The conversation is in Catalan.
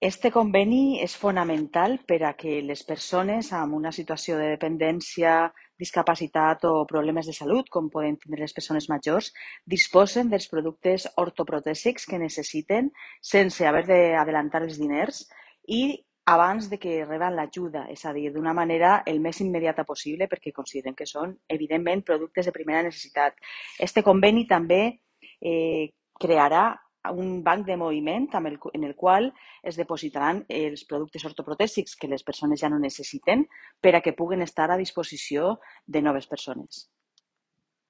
Este conveni és fonamental per a que les persones amb una situació de dependència, discapacitat o problemes de salut, com poden tindre les persones majors, disposen dels productes ortoprotèsics que necessiten sense haver d'adelantar els diners i abans de que reben l'ajuda, és a dir, d'una manera el més immediata possible perquè consideren que són, evidentment, productes de primera necessitat. Este conveni també crearà un banc de moviment en el qual es depositaran els productes ortoprotèsics que les persones ja no necessiten per a que puguen estar a disposició de noves persones.